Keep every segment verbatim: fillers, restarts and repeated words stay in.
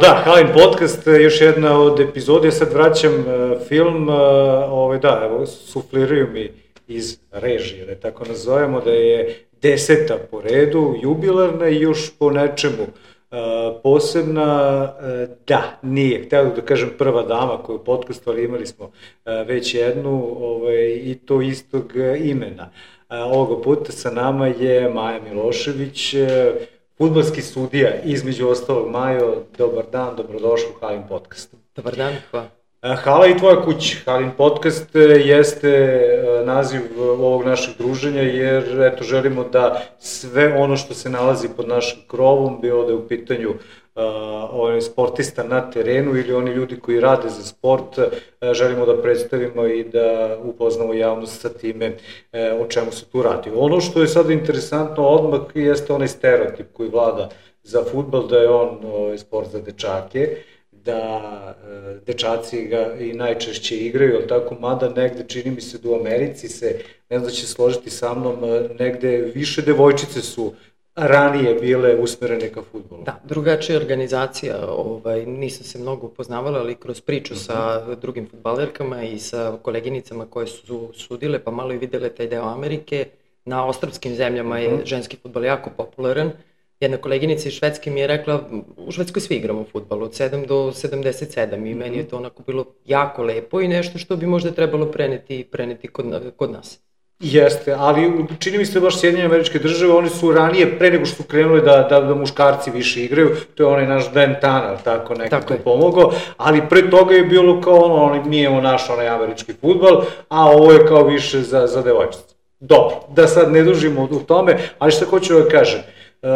Da, Halin podcast, još jedna od epizode, sad vraćam film, ovaj, da, evo, sufliraju mi iz režije, da tako nazovemo, da je deseta po redu, jubilarna i još po nečemu posebna, da, nije, htio da kažem prva dama koju u podcastu, ali imali smo već jednu ovaj, i to istog imena. Ovoga puta sa nama je Maja Milošević, fudbalski sudija, između ostalog. Majo, dobar dan, dobrodošli u Halin podcast. Dobar dan, hvala. Hala i tvoja kuća. Halin podcast jeste naziv ovog našeg druženja, jer eto, želimo da sve ono što se nalazi pod našim krovom, bilo da je u pitanju uh, ovaj sportista na terenu ili oni ljudi koji rade za sport, uh, želimo da predstavimo i da upoznamo javnost sa time uh, o čemu se tu radi. Ono što je sada interesantno odmah jeste onaj stereotip koji vlada za fudbal, da je on ovaj, sport za dečake, da e, dečaci ga i najčešće igraju, ali tako, mada negde, čini mi se da u Americi se, ne znam da će složiti sa mnom, negde više devojčice su ranije bile usmerene ka fudbalu. Da, drugačija organizacija, ovaj, nisam se mnogo upoznavala, ali kroz priču uh-huh. sa drugim fudbalerkama i sa koleginicama koje su sudile, pa malo i videle taj deo Amerike, na ostrvskim zemljama je uh-huh. ženski fudbal jako popularan. Jedna koleginica iz Švedske mi je rekla, u Švedskoj svi igramo fudbal, od sedam do sedamdeset sedam, i meni je to onako bilo jako lepo i nešto što bi možda trebalo preneti, preneti kod, kod nas. Jeste, ali čini mi se baš Sjedinjene Američke Države, oni su ranije, pre nego što su krenuli da, da, da muškarci više igraju, to je onaj naš Dan Tanner, tako nekako pomogao, ali pre toga je bilo kao ono, mi imamo naš onaj američki fudbal, a ovo je kao više za, za devojčice. Dobro, da sad ne dužimo u tome, ali šta hoću da kažem, Uh,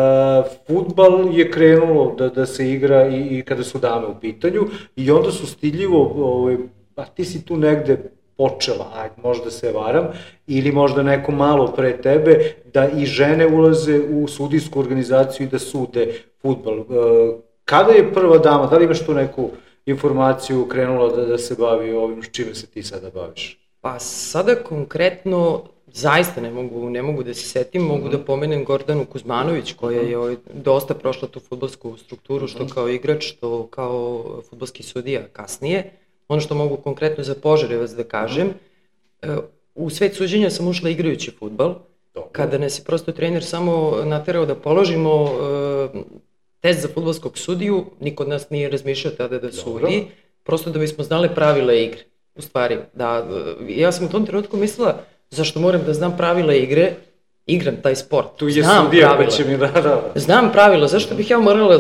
fudbal je krenulo da, da se igra i, i kada su dame u pitanju i onda su stidljivo, ovaj, a ti si tu negde počela, ajde, možda se varam, ili možda neko malo pre tebe, da i žene ulaze u sudijsku organizaciju i da sude fudbal. Uh, kada je prva dama, da li imaš tu neku informaciju krenula da, da se bavi ovim s čime se ti sada baviš? Pa sada konkretno zaista ne mogu, ne mogu da se setim, mogu mm-hmm. da pomenem Gordanu Kuzmanović, koja je ovaj, dosta prošla tu fudbalsku strukturu, što kao igrač, što kao fudbalski sudija kasnije. Ono što mogu konkretno za Požarevac da kažem, u svet suđenja sam ušla igrajući fudbal, kada nas je prosto trener samo naterao da položimo uh, test za fudbalskog sudiju, niko od nas nije razmišljao tada da sudi, Dobro. prosto da bismo znali pravila igre. U stvari, da, ja sam u tom trenutku mislila, zašto moram da znam pravila igre, igram taj sport. Tu je sudija, pa će mi da, da. Znam pravila, zašto bih ja morala,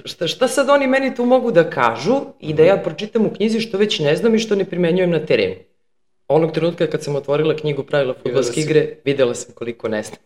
šta, šta sad oni meni tu mogu da kažu i da ja pročitam u knjizi što već ne znam i što ne primenjujem na terenu. Onog trenutka kad sam otvorila knjigu pravila fudbalske igre, videla sam koliko ne znam.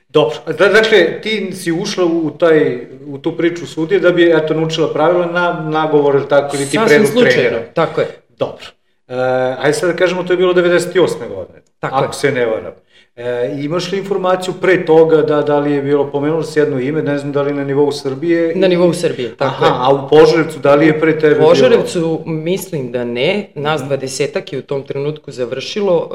Dobro, dakle, ti si ušla u, taj, u tu priču sudije da bi, eto, naučila pravila na nagovor, ili tako, ili ti predlog trenera. Sasvim slučajno, tako je. Dobro. E, ajde sad da kažemo, to je bilo devedeset osme godine, tako ako je. se ne varam. E, imaš li informaciju pre toga da, da li je bilo, pomenulo se jedno ime, ne znam da li na nivou Srbije? Na nivou Srbije, tako Aha, je. A u Požarevcu, da li je pre tebe bilo? U Požarevcu mislim da ne, nas dvadesetak je u tom trenutku završilo,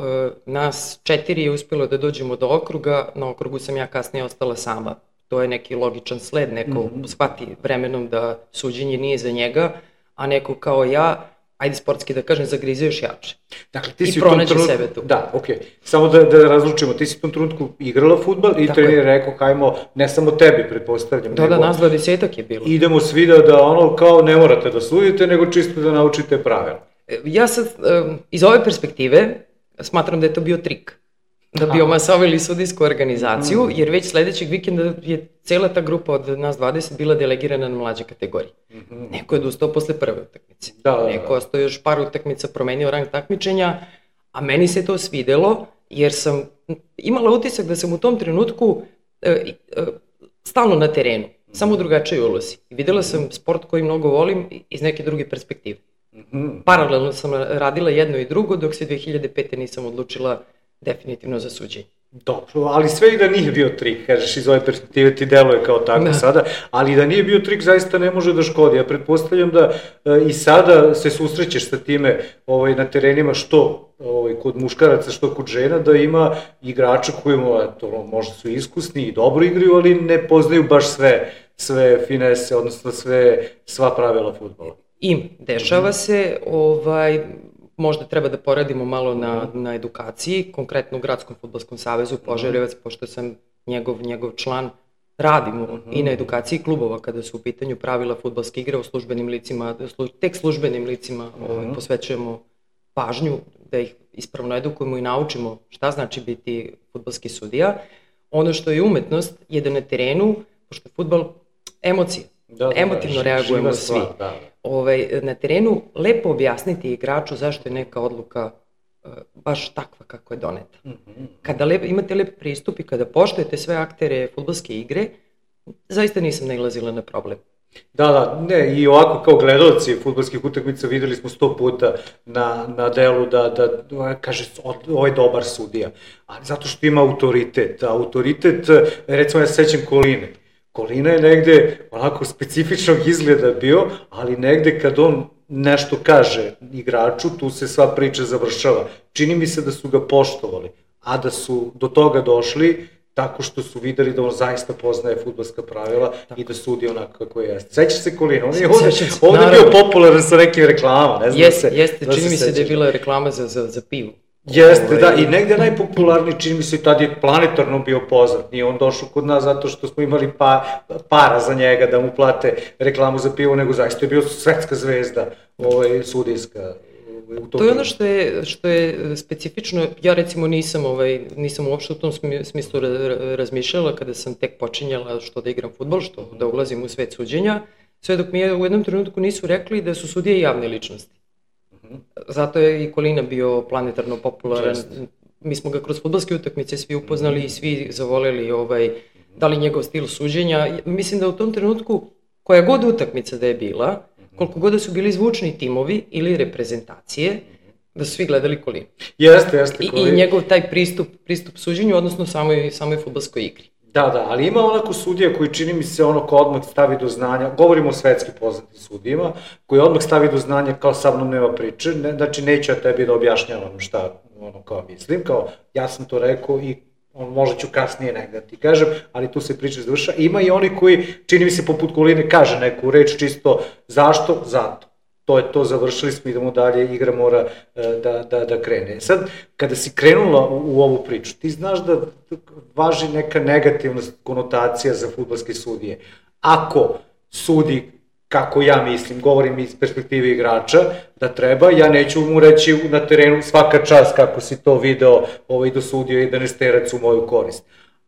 nas četiri je uspjelo da dođemo do okruga, na okrugu sam ja kasnije ostala sama. To je neki logičan sled, neko mm-hmm. shvati vremenom da suđenje nije za njega, a neko kao ja, ajde sportski da kažem, zagrizio još jače. Dakle, ti si I pronađe trenutku, sebe tu. Da, okej. Okay. Samo da, da razlučimo, ti si u tom trenutku igrala fudbal i trener je rekao, hajmo, ne samo tebi, pretpostavljam. Da, nego, da, nas dvadesetak je bilo. Idemo svi da, da ono, kao ne morate da sudite, nego čisto da naučite pravila. Ja sad, iz ove perspektive, smatram da je to bio trik. Da bi omasovili sudijsku organizaciju, mm. jer već sledećeg vikenda je cela ta grupa od nas dvadeset bila delegirana na mlađe kategorije. Mm-hmm. Neko je dostao posle prve utakmice. Da, da, da. Neko je ostao još par utakmica, promenio rang takmičenja, a meni se to svidelo, jer sam imala utisak da sam u tom trenutku e, e, stalno na terenu, mm-hmm. samo u drugačijoj ulozi. I videla sam sport koji mnogo volim iz neke druge perspektive. Mm-hmm. Paralelno sam radila jedno i drugo, dok se dve hiljade pete nisam odlučila definitivno za suđenje. Dobro, ali sve i da nije bio trik, kažeš, iz ove perspektive ti deluje kao tako da. sada, ali da nije bio trik zaista ne može da škodi. Ja pretpostavljam da e, i sada se susrećeš sa time ovaj, na terenima što ovaj, kod muškaraca, što kod žena, da ima igrača koji to, možda su iskusni i dobro igraju, ali ne poznaju baš sve sve finese, odnosno sve, sva pravila fudbala. Im, dešava se, ovaj, možda treba da poradimo malo na, na edukaciji, konkretno u Gradskom fudbalskom savezu Požarevac, pošto sam njegov, njegov član, radimo uh-huh. i na edukaciji klubova kada su u pitanju pravila fudbalske igre o službenim licima, služ, tek službenim licima uh-huh. ovaj, posvećujemo pažnju da ih ispravno edukujemo i naučimo šta znači biti fudbalski sudija. Ono što je umetnost je da na terenu, pošto je fudbal emocija, da, da, emotivno da, reagujemo svi, da, da. Ovaj, na terenu lepo objasniti igraču zašto je neka odluka uh, baš takva kako je doneta. Mm-hmm. Kada lep, imate lep pristup i kada poštujete sve aktere fudbalske igre, zaista nisam nailazila na problem. Da, da, ne, i ovako kao gledalci fudbalskih utakmica videli smo sto puta na, na delu da, da kaže, ovo je dobar sudija, ali zato što ima autoritet, autoritet, recimo ja se sećam Koline, Kolina je negde onako specifičnog izgleda bio, ali negde kad on nešto kaže igraču, tu se sva priča završava. Čini mi se da su ga poštovali, a da su do toga došli tako što su videli da on zaista poznaje fudbalska pravila tako. I da sudi onako kako je. Sećaš se Kolina? On je ovde, ovde bio popularan sa nekim reklamama, ne znam jeste, da se... Jeste, čini mi se da je bila reklama za, za, za pivu. Jeste, da, i negde najpopularniji, čini mi se, i tad je planetarno bio poznat. Nije on došao kod nas zato što smo imali pa, para za njega da mu plate reklamu za pivo, nego zaista je bio svetska zvezda, ovaj, sudijska. To je ono što je, što je specifično, ja recimo nisam, ovaj, nisam uopšte u tom smislu razmišljala kada sam tek počinjala što da igram fudbal, što da ulazim u svet suđenja, sve dok mi u jednom trenutku nisu rekli da su sudije javne ličnosti. Zato je i Kolina bio planetarno popularan. Mi smo ga kroz fudbalske utakmice svi upoznali i svi zavoleli ovaj, da li njegov stil suđenja. Mislim da u tom trenutku, koja god utakmica da je bila, koliko god da su bili zvučni timovi ili reprezentacije, da su svi gledali Kolinu. Jeste, jeste Kolina. I, i njegov taj pristup, pristup suđenju, odnosno samoj, samoj fudbalskoj igri. Da, da, ali ima onako sudija koji čini mi se ono ko odmah stavi do znanja, govorimo o svetski poznatim sudijima, koji odmah stavi do znanja kao sa mnom nema priče, ne, znači neću ja tebi da objašnjavam šta ono kao mislim, kao ja sam to rekao i on, možda ću kasnije negde ti kažem, ali tu se priča završa. Ima i oni koji, čini mi se poput Koline, kaže neku reč čisto zašto, zato. To je to, završili smo, idemo dalje, igra mora da, da, da krene. Sad, kada si krenula u, u ovu priču, ti znaš da važi neka negativna konotacija za fudbalske sudije. Ako sudi, kako ja mislim, govorim iz perspektive igrača, da treba, ja neću mu reći na terenu svaka čast kako si to video ovaj, dosudio i da ne sterac u moju korist.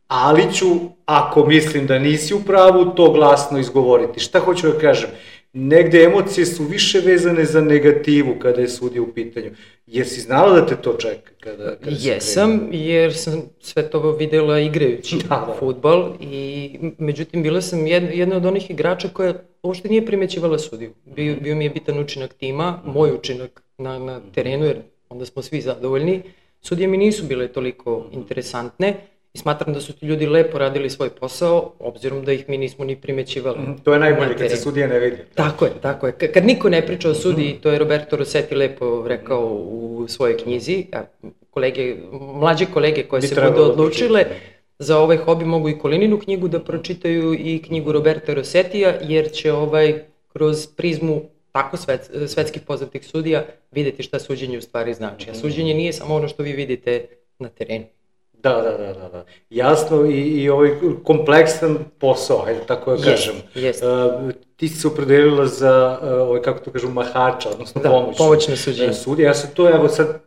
Ali ću, ako mislim da nisi u pravu, to glasno izgovoriti. Šta hoću da kažem? Negde emocije su više vezane za negativu kada je sudija u pitanju. Jer si znala da te to čeka? Kada, kada Jesam, jer sam sve to videla igrajući da, da. fudbal i međutim bila sam jedna, jedna od onih igrača koja uopšte nije primećivala sudiju. Bio, bio mi je bitan učinak tima, moj učinak na, na terenu, jer onda smo svi zadovoljni. Sudije mi nisu bile toliko interesantne. I smatram da su ti ljudi lepo radili svoj posao, obzirom da ih mi nismo ni primećivali. Mm, to je najbolje kad se sudija ne vidi. Tako je, tako je. Kad niko ne priča o sudiji, to je Roberto Rossetti lepo rekao u svojoj knjizi, a kolege, mlađe kolege koje se budu odlučile za ovaj hobi mogu i Kolininu knjigu da pročitaju i knjigu Roberta Rossettija, jer će ovaj kroz prizmu tako svet, svetskih poznatih sudija videti šta suđenje u stvari znači. A suđenje nije samo ono što vi vidite na terenu. Da, da, da, da, da. Jasno i, i ovaj kompleksan posao, hajde tako da kažem. Jest, uh, ti si se opredelila za, uh, ovaj, kako to kažu, mahača, odnosno da, pomoć. pomoćno suđenje. Sudija, ja sam to, evo sad,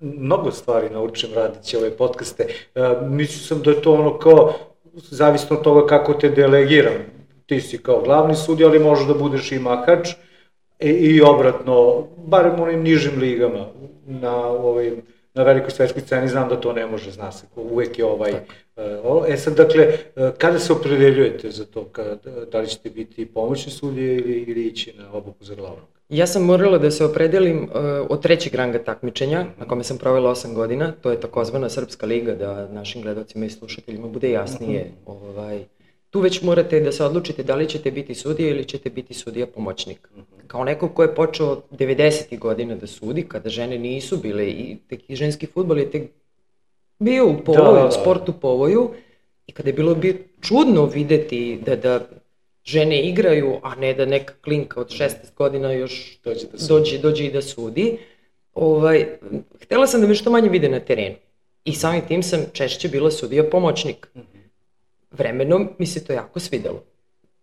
mnogo stvari naučim radići ove podcaste. Uh, mislio sam da je to ono kao, zavisno od toga kako te delegiram. Ti si kao glavni sudija, ali možeš da budeš i mahač i, i obratno, barem u onim nižim ligama, na ovim, na velikoj svetskoj sceni, znam da to ne može, zna se, uvek je ovaj... Uh, e sad, dakle, uh, kada se opredeljujete za to, kada, da li ćete biti pomoćni sudije ili, ili ići na obuku za glavnog? Ja sam morala da se opredelim uh, od trećeg ranga takmičenja, mm-hmm. na kome sam provela osam godina, to je takozvana Srpska liga, da našim gledalcima i slušateljima bude jasnije. Mm-hmm. Ovaj, tu već morate da se odlučite da li ćete biti sudija ili ćete biti sudija pomoćnik. Mm-hmm. Kao neko ko je počeo devedesetih godina da sudi, kada žene nisu bile, i tek i ženski fudbal je tek bio u povoju, da, da. sport u povoju, i kada je bilo bi čudno videti da, da žene igraju, a ne da neka klinka od šesnaest godina još dođe, da dođe, dođe i da sudi. Ovaj, htela sam da me što manje vide na terenu. I samim tim sam češće bila sudija pomoćnik. Vremenom mi se to jako svidelo.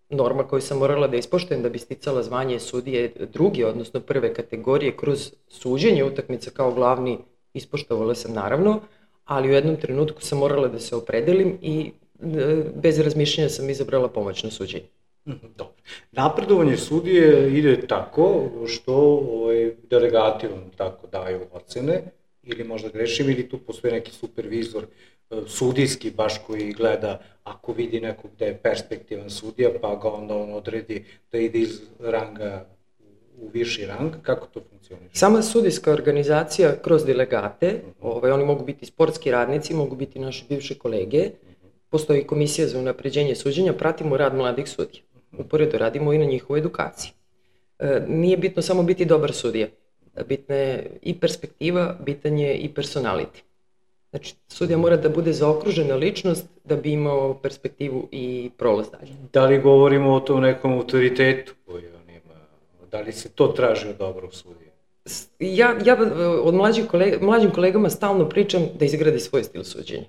Norma koju sam morala da ispoštujem da bi sticala zvanje sudije druge, odnosno prve kategorije, kroz suđenje utakmica kao glavni, ispoštovala sam naravno, ali u jednom trenutku sam morala da se opredelim i bez razmišljanja sam izabrala pomoćno suđenje. Dobro. Napredovanje sudije ide tako što ovaj, delegati vam tako daju ocene, ili možda grešim, ili tu postoji neki supervizor sudijski baš koji gleda ako vidi nekog da je perspektivan sudija, pa ga onda on odredi da ide iz ranga u viši rang. Kako to funkcioniše? Sama sudijska organizacija kroz delegate, ovaj, oni mogu biti sportski radnici, mogu biti naše bivše kolege, postoji komisija za unapređenje suđenja, pratimo rad mladih sudija. Uporedo radimo i na njihovoj edukaciji. E, nije bitno samo biti dobar sudija. Bitna je i perspektiva, bitan je i personality. Znači, sudija mora da bude zaokružena ličnost da bi imao perspektivu i prolaz dalje. Da li govorimo o tom nekom autoritetu koji on ima? Da li se to traži od dobrog sudija? Ja, ja od mlađim, kolega, mlađim kolegama stalno pričam da izgradi svoj stil suđenja.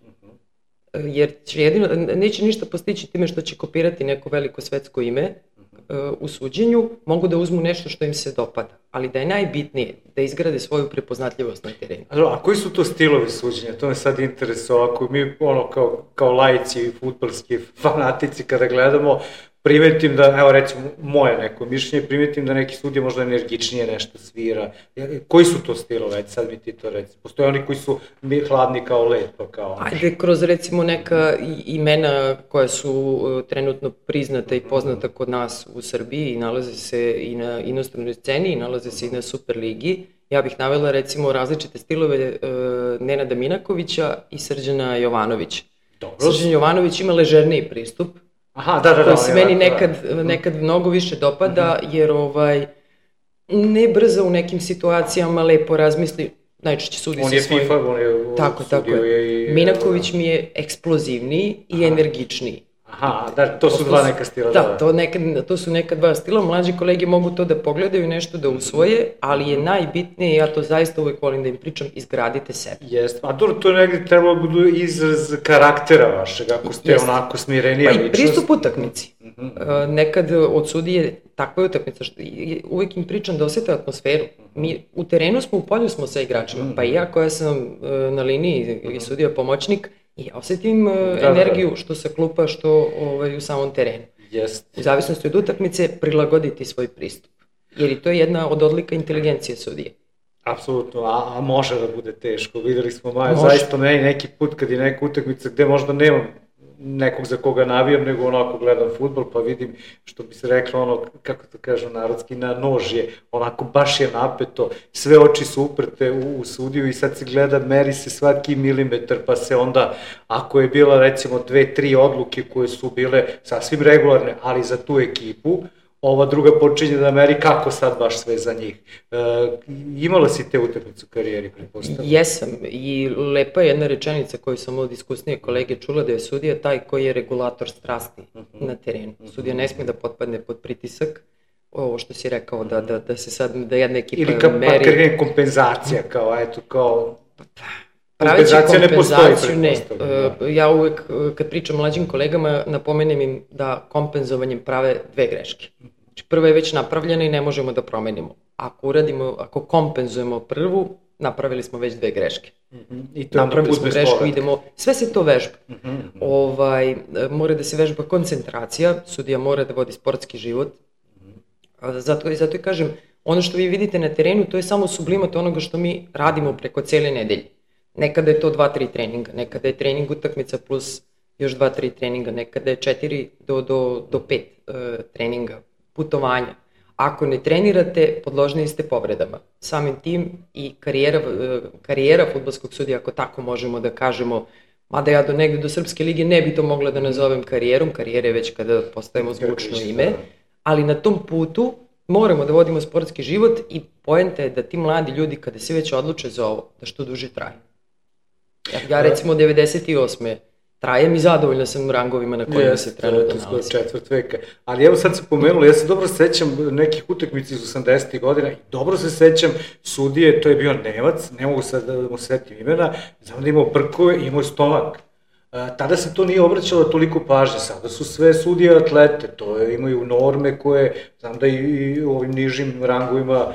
Jer će jedino, neće ništa postići time što će kopirati neko veliko svetsko ime uh, u suđenju, mogu da uzmu nešto što im se dopada, ali da je najbitnije da izgrade svoju prepoznatljivost na terenu. A koji su to stilovi suđenja? To me sad interesuje, ako mi ono kao, kao laici i fudbalski fanatici kada gledamo, primetim da, evo recimo, moje neko mišljenje, primetim da neki sudija možda energičnije nešto svira. Koji su to stilove? Sad mi ti to reci. Postoje oni koji su hladni kao led, pa kao... Ajde, kroz recimo neka imena koja su trenutno priznata i poznata kod nas u Srbiji i nalaze se i na inostranoj sceni i nalaze se i na Superligi. Ja bih navela recimo različite stilove uh, Nenada Minakovića i Srđana Jovanovića. Dobro. Srđan Jovanović ima ležerniji pristup, Aha, da, da, da, koji se meni nekad, nekad mnogo više dopada, jer ovaj, ne brzo u nekim situacijama lepo razmisli, najčešće sudi on se svojim... On je FIFA, on je tako, tako je. I... Minaković mi je eksplozivniji i aha. energičniji. Aha, da, to su dva neka stila. Da, to, nekad, to su neka dva stila, mlađi kolege mogu to da pogledaju i nešto da usvoje, ali je najbitnije, ja to zaista uvek volim da im pričam, izgradite sebe. Jeste, a dobro, to je negdje trebalo budu izraz karaktera vašeg, ako ste Jest. onako smirenija ličnost. Pa i pristup utakmici. Uh-huh. Uh, nekad od sudije takva je utakmica, što uvek im pričam da osete atmosferu. Mi u terenu smo, u polju smo sa igračima, uh-huh. pa i ja koja sam uh, na liniji uh-huh. i sudija pomoćnik, i osetim uh, da, energiju što sa klupa, što ovaj, u samom terenu. Jest. U zavisnosti od utakmice prilagoditi svoj pristup. Jer i to je jedna od odlika inteligencije sudije. Apsolutno, a, a može da bude teško. Videli smo Maja, zaista meni neki put kad je neka utakmica gde možda nemam nekog za koga navijam, nego onako gledam fudbal, pa vidim, što bi se reklo, ono, kako to kažu narodski, na nož je, onako baš je napeto, sve oči su uprte u, u sudiju i sad se gleda, meri se svaki milimetar, pa se onda, ako je bila recimo dve, tri odluke koje su bile sasvim regularne, ali za tu ekipu, ova druga počinje da meri kako sad baš sve za njih. E, imala si te utakmice u karijeri, pretpostavljam? Jesam, i lepa je jedna rečenica koju sam od iskusnije kolege čula, da je sudija taj koji je regulator strasti uh-huh. na terenu. Sudija ne smije da potpadne pod pritisak, ovo što si rekao, da, da, da se sad, da jedna ekipa meri... Ili kao meri... kompenzacija, kao, eto, kao... Praveći kompenzaciju ne. ne. Ja uvek, kad pričam mlađim kolegama, napomenem im da kompenzovanjem prave dve greške. Znači, prva je već napravljena i ne možemo da promenimo. Ako uradimo, ako kompenzujemo prvu, napravili smo već dve greške. Mm-hmm. I to napravili smo grešku, idemo, sve se to vežba. Mm-hmm. Ovaj, mora da se vežba koncentracija, sudija mora da vodi sportski život. Mm-hmm. Zato, zato i kažem, ono što vi vidite na terenu, to je samo sublimat onoga što mi radimo preko cijele nedelje. Nekada je to dva tri treninga, nekada je trening utakmica plus još dva tri treninga, nekada je četiri do pet uh, treninga, putovanja. Ako ne trenirate, podložni ste povredama. Samim tim i karijera, uh, karijera fudbalskog sudija, ako tako možemo da kažemo, mada ja do negde do Srpske lige ne bi to mogla da nazovem karijerom, karijere već kada postajemo zvučno ime, ali na tom putu moramo da vodimo sportski život i poenta je da ti mladi ljudi kada se već odluče za ovo, da što duže traju. Ja recimo devedeset osme trajem i zadovoljna sam rangovima na kojima se trenutno nalazi. Četvrt veka. Ali evo sad se pomenulo, ja se dobro sećam nekih utakmica iz osamdesetih godina i dobro se sećam sudije, to je bio Nemac, ne mogu sad da mu setim imena, znam da imao brkove i imao stomak. Tada se to nije obraćalo toliko pažnje, sada su sve sudije atlete, to je, imaju norme koje, znam da i u ovim nižim rangovima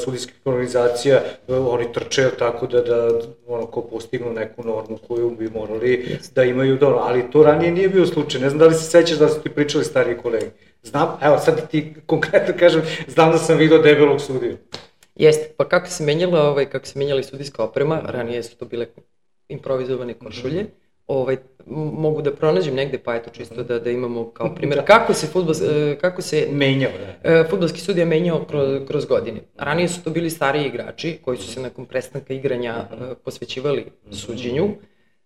sudijskih organizacija, oni trče tako da, da ono, ko postignu neku normu koju bi morali da imaju dobro, ali to ranije nije bio slučaj, ne znam da li se sećaš da su ti pričali stariji kolegi. Znam, evo sad ti konkretno kažem, znam da sam vidio debelog sudiju. Jeste, pa kako se menjala, ovaj, kako se menjala i sudijska oprema, ranije su to bile improvizovane košulje, mm-hmm. Ovaj, mogu da pronađem negde, pa eto čisto da, da imamo kao primjer kako se, fudbal, kako se menjao, da. fudbalski sudija menjao kroz, kroz godine. Ranije su to bili stariji igrači koji su se nakon prestanka igranja mm-hmm. posvećivali suđenju,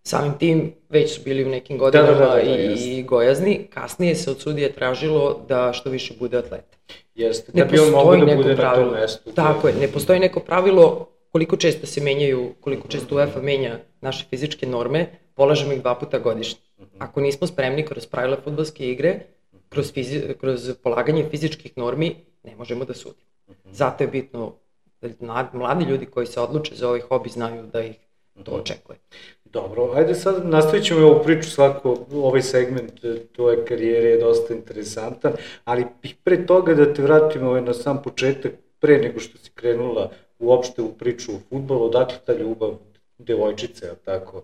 samim tim već su bili u nekim godinama da, da, da, da, i, i gojazni, kasnije se od sudije tražilo da što više bude atleta. Jeste, da bi on mogo da bude pravilo, na tom mestu. Tako je, ne postoji neko pravilo koliko često se menjaju, koliko često UEFA menja naše fizičke norme, polažemo ih dva puta godišnje. Ako nismo spremni kroz pravila fudbalske igre, kroz, fizi, kroz polaganje fizičkih normi, ne možemo da sudimo. Zato je bitno da mladi ljudi koji se odluče za ovaj hobi znaju da ih to očekuje. Dobro, ajde sad nastavit ćemo ovu priču, svako ovaj segment tvoje karijere je dosta interesantan, ali pre toga da te vratim ovaj na sam početak, pre nego što si krenula uopšte u priču o fudbalu, odakle ta ljubav devojčice, tako,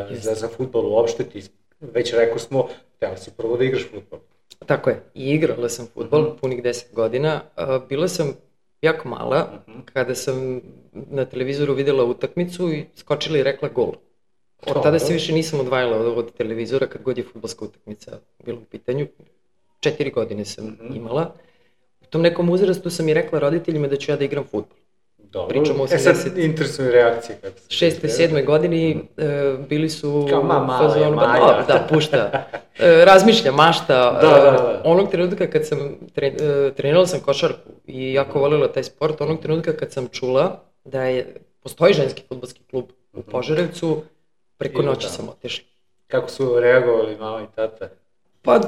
za, za fudbal uopšte, ti već rekao smo, htjela si prvo da igraš fudbal. Tako je, i igrala sam fudbal uh-huh. punih deset godina, bila sam jako mala, uh-huh. kada sam na televizoru videla utakmicu i skočila i rekla gol. Od tada se više nisam odvajala od, od televizora kad god je fudbalska utakmica bila u pitanju. Četiri godine sam uh-huh. imala. U tom nekom uzrastu sam i rekla roditeljima da ću ja da igram fudbal. Dobro, pričamo o e sad interesuju reakcije. šeste, sedme godini e, bili su... Kao ma, mala je, Maja. Da, da, pušta. E, razmišlja, mašta. Da, da, da. E, onog trenutka kad sam, tre, e, trenirala sam košarku i jako voljela taj sport, onog trenutka kad sam čula da je, postoji ženski fudbalski klub u Požarevcu, preko noći sam otišla. Kako su reagovali mama i tata? Pa...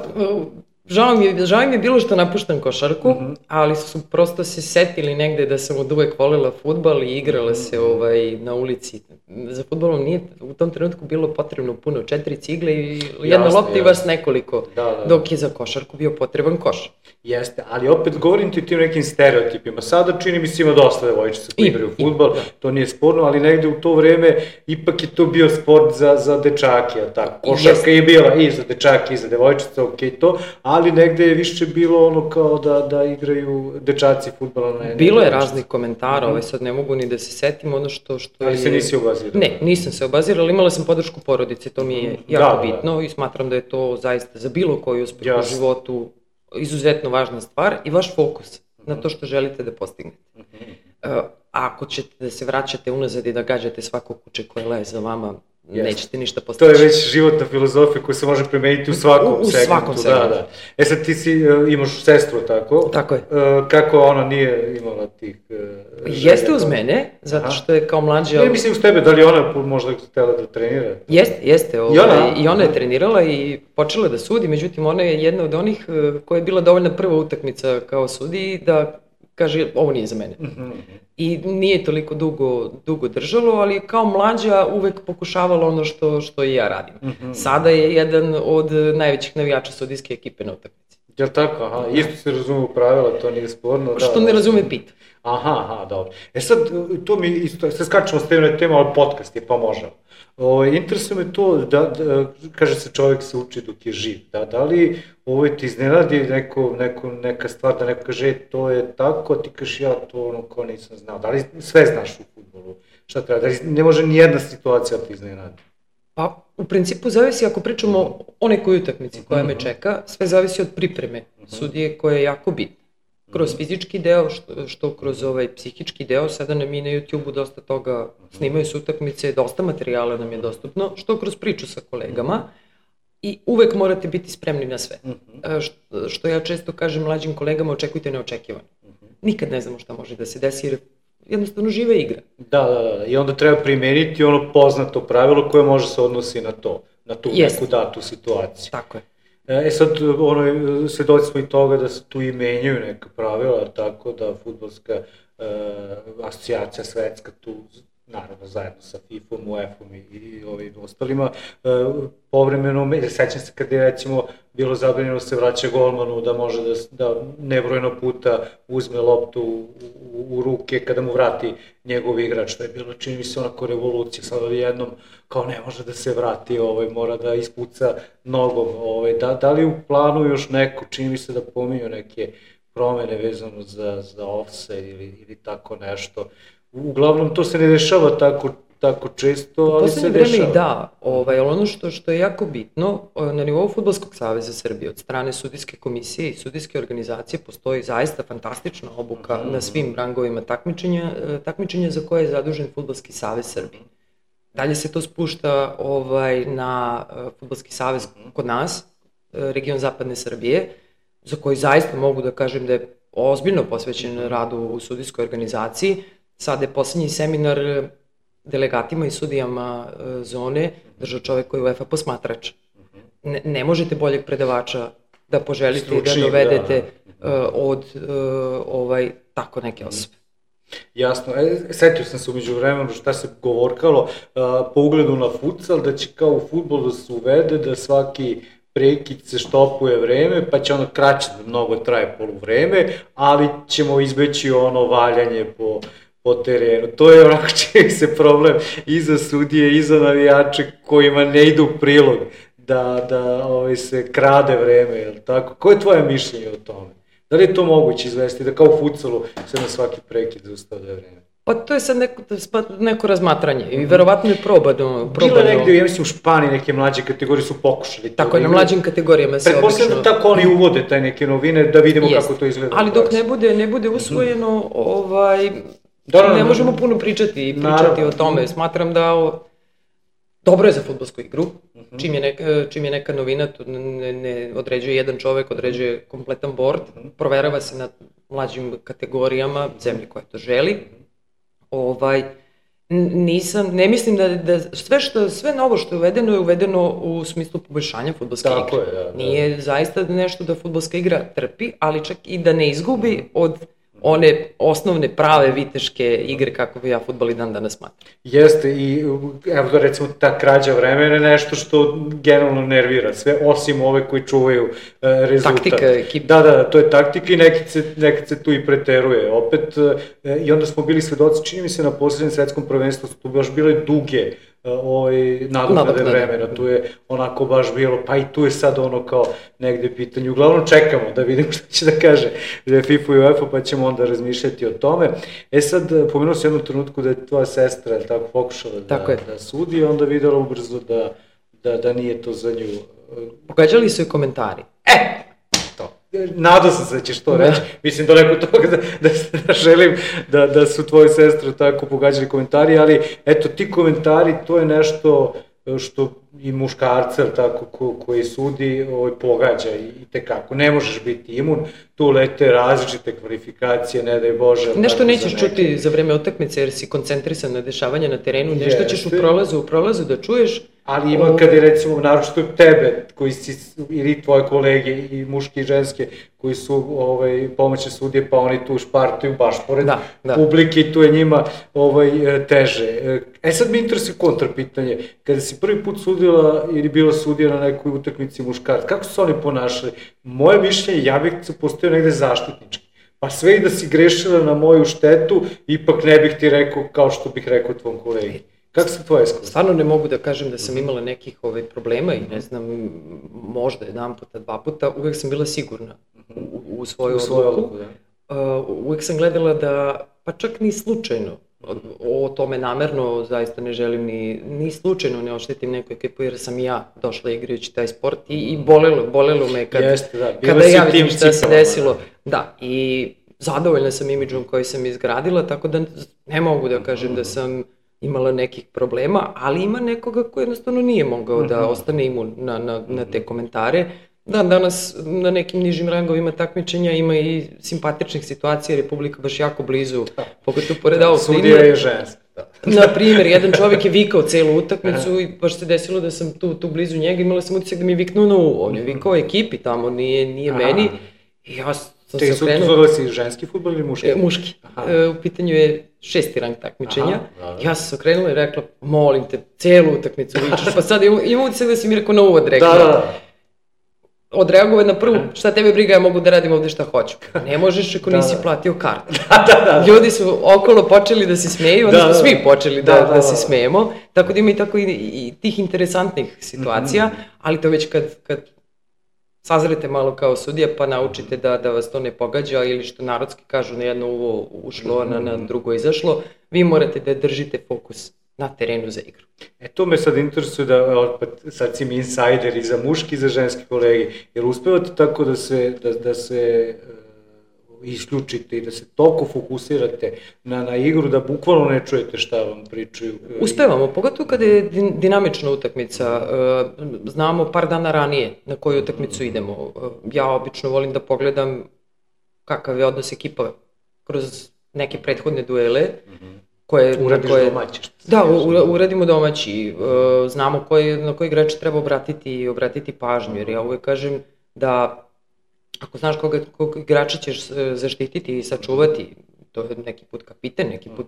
Žao mi je, žao mi je bilo što napuštam košarku, mm-hmm. ali su prosto se setili negde da sam od uvek voljela fudbal i igrala se ovaj, na ulici. Za fudbalom nije u tom trenutku bilo potrebno puno, četiri cigle i jedna lopta i vas nekoliko, da, da. Dok je za košarku bio potreban koš. Jeste, ali opet govorim ti o tim nekim stereotipima. Sada čini mi se ima dosta devojčica koji igraju fudbal, da. To nije sporno, ali negde u to vreme ipak je to bio sport za, za dečake, tako? Košarka Jeste. Je bila i za dečake i za devojčice, okej okay, to, ali negde je više bilo ono kao da, da igraju dečaci fudbala. Ne, bilo je raznih komentara, mm-hmm. ovaj sad ne mogu ni da se setim ono što, što ali je... se nisi obazirala? Ne, nisam se obazirala, imala sam podršku porodice, to mi je jako da, bitno da. I smatram da je to zaista za bilo koji uspeh Jasne. U životu izuzetno važna stvar i vaš fokus mm-hmm. na to što želite da postignete. Mm-hmm. Uh, ako ćete da se vraćate unazad i da gađate svako kuće koje leje za vama, Yes. nećete ništa postići. To je već životna filozofija koja se može primeniti u svakom u, u segmentu. Svakom segmentu. Da, da. E sad ti si, uh, imaš sestru, tako? Tako je. Uh, kako ona nije imala tih uh, želja? Jeste uz mene, zato što je kao mlađa... Ne mislim uz tebe, da li ona možda htjela da trenira? Jeste, jeste. Ovaj, I, ona? I ona je trenirala i počela da sudi, međutim ona je jedna od onih uh, koja je bila dovoljna prva utakmica kao sudi da kaže ovo nije za mene. Mm-hmm. I nije toliko dugo, dugo držalo, ali kao mlađa uvek pokušavala ono što, što i ja radim. Mm-hmm. Sada je jedan od najvećih navijača sudijske ekipe na utakmici. Jel tako? Aha, isto se razume u pravila, to nije sporno. Što da, ne razume pita. Aha, aha, dobro. E sad, to mi isto, sad skačemo s teme na temu, ali podcast je, pa možemo. O, interesuje me to, da, da, kaže se čovjek se uči dok je živ, da, da li ovo ti iznenadi neko, neko, neka stvar da neko kaže to je tako, ti kažeš ja to ono ko nisam znao, da li sve znaš u fudbalu, šta treba, da li ne može ni jedna situacija ti iznenadi? Pa, u principu zavisi, ako pričamo o nekoj utakmici koja me čeka, sve zavisi od pripreme sudije koja je jako bitna. Kroz fizički deo, što, što kroz ovaj psihički deo, sada nam i na YouTube-u dosta toga snimaju se utakmice, dosta materijala nam je dostupno, što kroz priču sa kolegama i uvek morate biti spremni na sve. Što, što ja često kažem mlađim kolegama, očekujte neočekivano. Nikad ne znamo šta može da se desi jer jednostavno žive igra. Da, da, da, i onda treba primeniti ono poznato pravilo koje može se odnosi na to. na tu neku datu situaciju. Tako je. E sad, ono, svedoci smo i toga da se tu i menjaju neka pravila, tako da fudbalska e, asocijacija svetska tu, naravno zajedno sa FIFA-om, UEFA-om i, i ovim ostalima, e, povremeno, sećam se kada je recimo bilo zabranjeno se vraća golmanu da može da, da nebrojeno puta uzme loptu u, u, u ruke kada mu vrati njegov igrač, što je bilo, čini mi se, onako revolucija, sada jednom kao ne može da se vrati, ovaj, mora da ispuca nogom, ovaj, da, da li u planu još neko, čini mi se da pominju neke promene vezano za, za offside ili, ili tako nešto. Uglavnom to se ne dešava tako, tako često, ali se dešava. U poslednje vreme i da, ovaj, ali ono što, što je jako bitno, na nivou Fudbalskog saveza Srbije od strane sudijske komisije i sudijske organizacije postoji zaista fantastična obuka mm-hmm. na svim rangovima takmičenja, takmičenja za koje je zadužen Fudbalski savez Srbije. Dalje se to spušta ovaj, na uh, Fudbalski savez kod nas, uh, region Zapadne Srbije, za koji zaista mogu da kažem da je ozbiljno posvećen radu u sudijskoj organizaciji. Sada je poslednji seminar delegatima i sudijama uh, zone držao čovek koji je UEFA posmatrač. Ne, ne možete boljeg predavača da poželite Stručni, da dovedete da. Uh, od uh, ovaj, tako neke osobe. Jasno, e, setio sam se umeđu vremenu šta se govorkalo a, po ugledu na futsal, da će kao u fudbalu da se uvede da svaki prekid se štopuje vreme, pa će ono kraće da mnogo traje poluvreme, ali ćemo izbeći ono valjanje po, po terenu. To je onako čini se problem i za sudije i za navijače kojima ne idu u prilog da, da ovaj, se krade vreme, je li tako? Koje je tvoje mišljenje o tome? Da li je to moguće izvesti, da kao u futsalu se na svaki prekid zaustavlja vreme? Pa to je sad neko, neko razmatranje i verovatno je probano. Bilo je negde, ja mislim u Španiji neke mlađe kategorije su pokušali. Tako je, na mlađim kategorijama se obično... Pretpostavljam da tako oni uvode taj neke novine, da vidimo Jest. Kako to izgleda. Ali dok ne bude, ne bude usvojeno, ovaj, da, ne možemo puno pričati i pričati naravno. O tome. Smatram da o, dobro je za fudbalsku igru. Čim je, neka, čim je neka novina, to ne, ne određuje jedan čovek, određuje kompletan board, proverava se na mlađim kategorijama, zemlji koja to želi. Ovaj, nisam, ne mislim da, da sve, što, sve novo što je uvedeno je uvedeno u smislu poboljšanja fudbalske igre. Je, da, da. Nije zaista nešto da fudbalska igra trpi, ali čak i da ne izgubi od one osnovne prave viteške igre kako bi ja fudbal i dan danas smatram. Jeste i evo da recimo ta krađa vremena je nešto što generalno nervira sve, osim ove koji čuvaju uh, rezultat. Taktika ekipa. Da, da, to je taktika i nekad se, nekad se tu i preteruje. Opet, uh, i onda smo bili svedoci, čini mi se na posljednjem svetskom prvenstvu su tu baš bile duge ovaj, nadoknade vremena, tu je onako baš bilo, pa i tu je sad ono kao negde pitanje, uglavnom čekamo da vidimo što će da kaže FIFA i UEFA, pa ćemo onda razmišljati o tome. E sad, pomenuo se jednom trenutku da je tvoja sestra, je tako, pokušala da, da sudi, onda videla ubrzo da, da, da nije to za nju. Pogađali su i komentari. E! Nadao sam se da ćeš to reći, mislim daleko toga da, da, da želim da, da su tvoje sestre tako pogađali komentari, ali eto ti komentari to je nešto što i muškarca tako, ko, koji sudi ovaj, pogađa i, i tekako, ne možeš biti imun, tu lete različite kvalifikacije, ne daj Bože. Nešto nećeš za čuti za vreme utakmice jer si koncentrisan na dešavanje na terenu, nešto ćeš u prolazu, u prolazu da čuješ. Ali ima kada je recimo, naročito tebe, koji si, ili tvoje kolege, i muški i ženske, koji su ovaj, pomoćne sudije, pa oni tu špartuju baš pored da, da. publike i tu je njima ovaj, teže. E sad mi interesuje kontra pitanje, kada si prvi put sudila ili bila sudija na nekoj utakmici muškarac, kako su oni ponašali? Moje mišljenje, ja bih se postavio negde zaštitnički. Pa sve i da si grešila na moju štetu, ipak ne bih ti rekao kao što bih rekao tvom kolegi. Kako se tvoje iskustvo? Stvarno ne mogu da kažem da sam imala nekih ovaj, problema i ne znam, možda jedan puta, dva puta, uvek sam bila sigurna u, u svoju u svoju odluku. Da. Uh, uvek sam gledala da, pa čak ni slučajno, o, o tome namerno zaista ne želim ni, ni slučajno ne oštetim neku ekipu jer sam i ja došla igrajući taj sport i, i bolelo, bolelo me kad, Jeste, da. kada ja vidim šta se desilo. Da, i zadovoljna sam imidžom koji sam izgradila, tako da ne mogu da kažem da sam imala nekih problema, ali ima nekoga ko jednostavno nije mogao da ostane imun na, na, na te komentare. Dan danas na nekim nižim rangovima takmičenja ima i simpatičnih situacija, Republika baš jako blizu, pogotovo pored ovog primjera. Sudija je ženska. Na primjer, jedan čovjek je vikao celu utakmicu i baš se desilo da sam tu, tu blizu njega, imala sam utisak da mi je viknuo na uvo. On je vikao ekipi tamo, nije, nije meni. I ja sam Te se su okrenuo... zove si ženski fudbal ili muški? E, muški. E, u pitanju je šesti rang takmičenja. Aha, ja sam se okrenula i rekla, molim te, celu utakmicu vičeš, pa sad imam utisak da si mi rekao na uvod rekla. Da, da. Odreagovao na prvu, šta tebe briga, ja mogu da radim ovde šta hoću. Ne možeš ako nisi platio kartu. Da, da, da. Ljudi su okolo počeli da se smeju, onda smo svi počeli da, da, da, da se smejemo. Tako da ima i tako i, i tih interesantnih situacija, mm-hmm. ali to već kad, kad sazrete malo kao sudija pa naučite da, da vas to ne pogađa ili što narodski kažu na jedno uvo ušlo, mm-hmm. na, na drugo izašlo, vi morate da držite fokus na terenu za igru. E to me sad interesuje da, opet, sad si mi insajder i za muški i za ženski kolege, jer uspevate tako da se, da, da se uh, isključite i da se toliko fokusirate na, na igru da bukvalno ne čujete šta vam pričaju? Uspevamo, pogotovo kada je dinamična utakmica, uh, znamo par dana ranije na koju utakmicu idemo. Uh, ja obično volim da pogledam kakav je odnos ekipa kroz neke prethodne duele, mm-hmm. koje... Uradiš koje, domaći. Da, u, uradimo domaći. E, znamo koji, na koji igrač treba obratiti, obratiti pažnju, jer ja uvek kažem da ako znaš koga, koga igrača ćeš zaštititi i sačuvati, to je neki put kapiten, neki put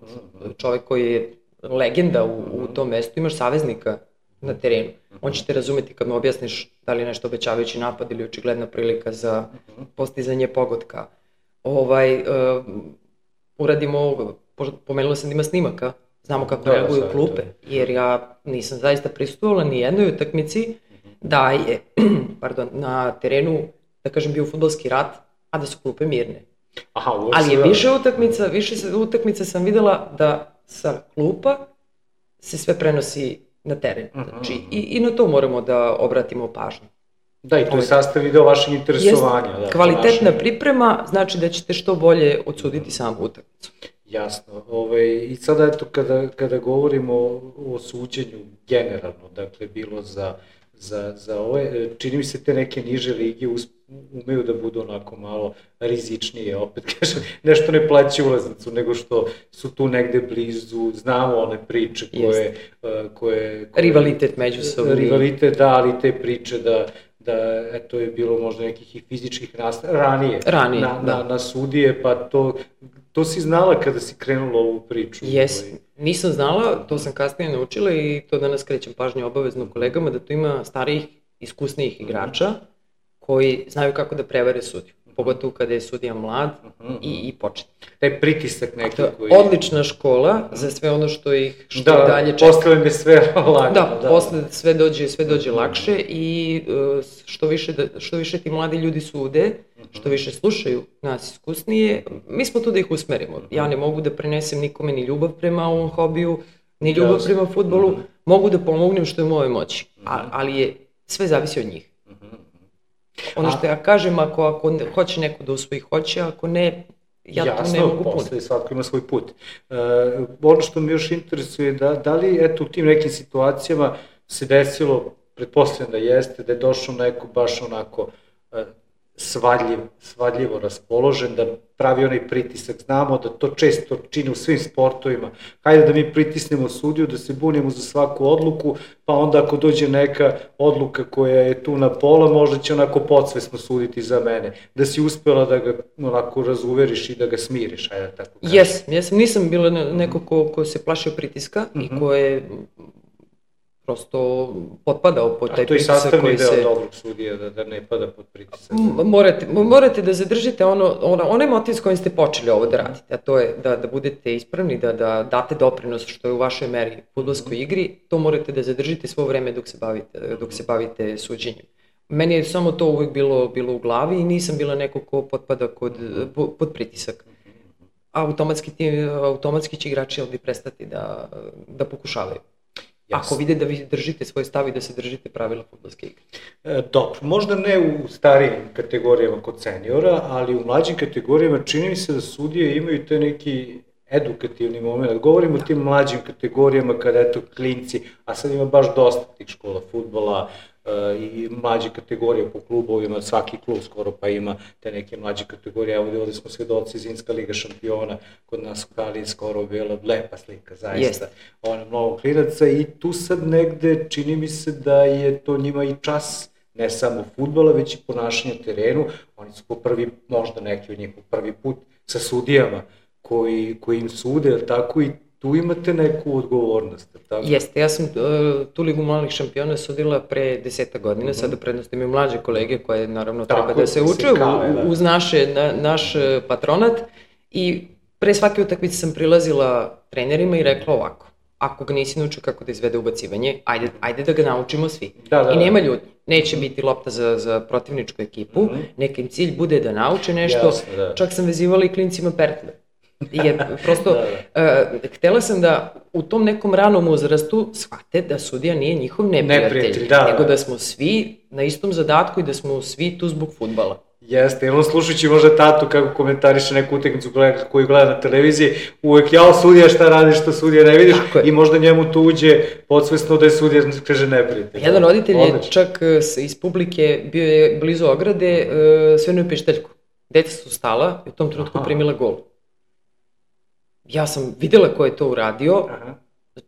čovek koji je legenda u, u tom mestu, imaš saveznika na terenu. On će te razumeti kad mu objasniš da li je nešto obećavajući napad ili očigledna prilika za postizanje pogotka. Ovaj, e, uradimo... Pomenula sam da ima snimaka, znamo kako da, reaguju klupe, jer ja nisam zaista prisustvovala ni jednoj utakmici da je pardon, na terenu, da kažem, bio fudbalski rat, a da su klupe mirne. Aha, ali je više utakmica, više utakmica sam videla da sa klupa se sve prenosi na teren. Znači, i, i na to moramo da obratimo pažnju. Da, i to je sastav video vašeg interesovanja. Da, kvalitetna vaše... priprema znači da ćete što bolje odsuditi samu utakmicu. Jasno. Ove, I sada eto kada, kada govorimo o, o suđenju generalno, dakle bilo za, za, za ove, čini mi se te neke niže lige umeju da budu onako malo rizičnije, opet kažem, nešto ne plaća ulaznicu, nego što su tu negde blizu, znamo one priče koje... koje, koje rivalitet međusobni. Rivalitet, da, ali te priče da da eto je bilo možda nekih i fizičkih nastav, ranije, ranije na, da. na, na sudije, pa to, to si znala kada si krenula ovu priču? Jes, nisam znala, to sam kasnije naučila i to danas krećem pažnju obavezno kolegama, da tu ima starijih, iskusnijih igrača koji znaju kako da prevare sudiju. Pogotovo kada je sudija mlad uh-huh. i, i početnik. Taj pritisak neki koji... Odlična škola za sve ono što ih što da, dalje čeka. Da, posle mi sve lagano. Da, da, posle sve dođe, sve dođe lakše i uh, što, više da, što više ti mladi ljudi sude, uh-huh. što više slušaju nas iskusnije, mi smo tu da ih usmerimo. Uh-huh. Ja ne mogu da prenesem nikome ni ljubav prema ovom hobiju, ni ljubav Jasne. prema fudbalu, uh-huh. mogu da pomognem što je u mojoj moći, uh-huh. A, ali je, sve zavisi od njih. Ono što ja kažem, ako, ako hoće neko da usvoji, hoće, ako ne, ja Jasno, to ne mogu puno. Jasno, svatko ima svoj put. Uh, ono što me još interesuje, da, da li eto, u tim nekim situacijama se desilo, pretpostavljam da jeste, da je došao neko baš onako uh, svadljiv, svadljivo raspoložen, da pravi onaj pritisak. Znamo da to često čini u svim sportovima. Hajde da mi pritisnemo sudiju, da se bunimo za svaku odluku, pa onda ako dođe neka odluka koja je tu na pola, možda će onako podsvesno suditi za mene. Da si uspela da ga onako razuveriš i da ga smiriš, hajde tako kažem. Jesam, jesam, nisam bila neko ko, ko se plašio pritiska mm-hmm. i ko je prosto potpadao pod taj pritisak koji se... A to je sastavni deo dobrog sudija, da, da ne pada pod pritisak. Morate, morate da zadržite ono, ono, onaj motiv s kojim ste počeli ovo da radite, a to je da, da budete ispravni, da, da date doprinos što je u vašoj meri u fudbalskoj igri, to morate da zadržite svo vreme dok se bavite, dok se bavite suđenjem. Meni je samo to uvek bilo, bilo u glavi i nisam bila neko ko potpada kod, pod pritisak. Automatski, ti, automatski će igrači ovdje prestati da, da pokušavaju. Jasne. Ako vide da vi držite svoj stav i da se držite pravila fudbalske igre. E, dobro, možda ne u starijim kategorijama kod seniora, ali u mlađim kategorijama čini mi se da sudije imaju te neki edukativni moment. Govorimo o tim mlađim kategorijama kada eto klinci, a sad ima baš dosta tih škola fudbala i mlađe kategorije po klubovima, svaki klub skoro pa ima te neke mlađe kategorije. Evo ovde smo svedoci Zimska liga šampiona, kod nas u Kali skoro bila lepa slika, zaista. Ono, mnogo klinaca i tu sad negde čini mi se da je to njima i čas ne samo fudbala, već i ponašanja terenu. Oni su po prvi, možda neki od njih po prvi put sa sudijama koji, koji im sude, tako i tu imate neku odgovornost, tako? Jeste, ja sam uh, tu ligu malih šampiona sudila pre deseta godina, mm-hmm. sada prednost imaju mlađe kolege koje naravno tako, treba da se uče u, uz naše, na, naš patronat i pre svake utakmice sam prilazila trenerima i rekla ovako, ako ga nisi naučio kako da izvede ubacivanje, ajde, ajde da ga naučimo svi. Da, da, I nema ljudi, neće biti lopta za, za protivničku ekipu, mm-hmm. neka im cilj bude da nauče nešto, Jasne, da. Čak sam vezivala i klincima pertle. Jer prosto, da, da. Uh, htela sam da u tom nekom ranom uzrastu shvate da sudija nije njihov neprijatelj, neprijatelj da, nego da smo svi na istom zadatku i da smo svi tu zbog fudbala. Jeste, jer on slušajući možda tatu kako komentariše neku utakmicu koju gleda na televiziji, uvek jao sudija šta radiš, što sudija ne vidiš i možda njemu tu uđe podsvesno da je sudija, kaže, neprijatelj. Jedan roditelj je čak iz publike bio je blizu ograde, svenuo je pišteljku. Deca su stala i u tom trenutku primila gol. Ja sam videla ko je to uradio, Aha.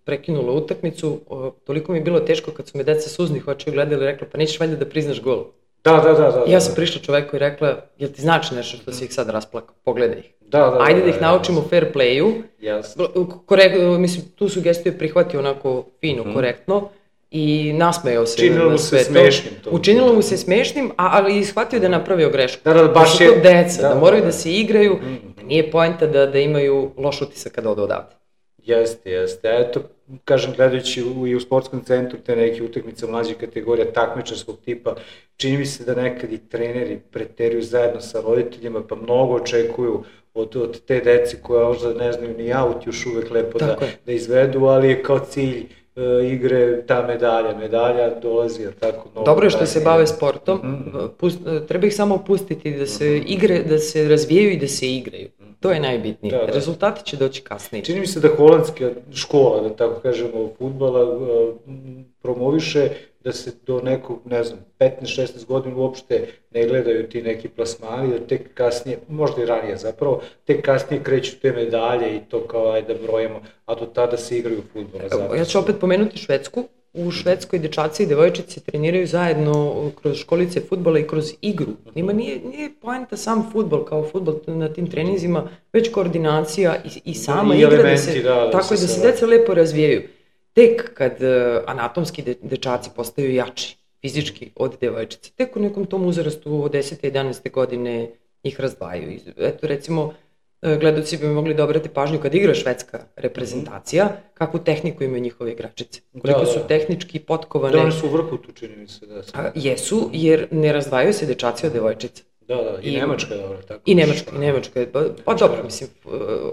prekinula utakmicu, toliko mi je bilo teško kad su me deca suznih očiju gledali i rekla pa nećeš valjda da priznaš gol. Da, da, da, da. Ja sam prišla čoveku i rekla, jel ti znači nešto što si ih sad rasplakao, pogledaj ih. Da, da, Ajde da, da ih naučimo jasno. fair playu. Jasno. Korek, mislim, tu sugestiju je prihvatio onako fino, mm-hmm. korektno i nasmejao se. Učinilo mu se smešnim to. Učinilo mu se smešnim, ali i shvatio da je napravio grešku. Da, da, baš je. Da su to deca, da, da, da moraju da, da se igraju, mm-hmm. da nije poenta da, da imaju loš utisak kada odu odavde. Jeste, jeste. Eto, kažem, gledajući u, i u sportskom centru te neke utakmice mlađe kategorija takmičarskog tipa, čini mi se da nekad i treneri preteruju zajedno sa roditeljima, pa mnogo očekuju od, od te deci koja možda ne znaju ni aut još uvek lepo da, da izvedu, ali je kao cilj uh, igre ta medalja. Medalja dolazi, jer tako... Mnogo Dobro je što se bave sportom, mm-hmm. Pust, treba ih samo pustiti da se mm-hmm. igre, da se razvijaju i da se igraju. To je najbitnije. Da, da. Rezultati će doći kasnije. Čini mi se da holandska škola, da tako kažemo, fudbala promoviše da se do nekog, ne znam, petnaest šesnaest godina uopšte ne gledaju ti neki plasmani, da tek kasnije, možda i ranije zapravo, tek kasnije kreću te medalje i to kao ajde da brojimo, a do tada se igraju fudbala. Ja ću opet pomenuti Švedsku. U Švedskoj dečaci i devojčice treniraju zajedno kroz školice fudbala i kroz igru. Njima nije, nije poenta sam fudbal kao fudbal na tim treninzima, već koordinacija i, i sama I igra, elementi, da se, da, da tako se da se deca lepo razvijaju. Tek kad uh, anatomski de, dečaci postaju jači, fizički od devojčice, tek u nekom tom uzrastu od desete jedanaeste godine ih razdvajaju. Eto recimo, gledaoci bi mogli da obrate pažnju kad igra švedska reprezentacija, kakvu tehniku imaju njihove igračice. Koliko da, da. su tehnički potkovane. Da, oni su u vrhu tu, čini mi se. Da, A, jesu, jer ne razdvajaju se dečaci od devojčica. Da, da, i, I Nemačka je dobro. Tako I Nemačka, i Nemačka je. Pa, pa dobro, mislim,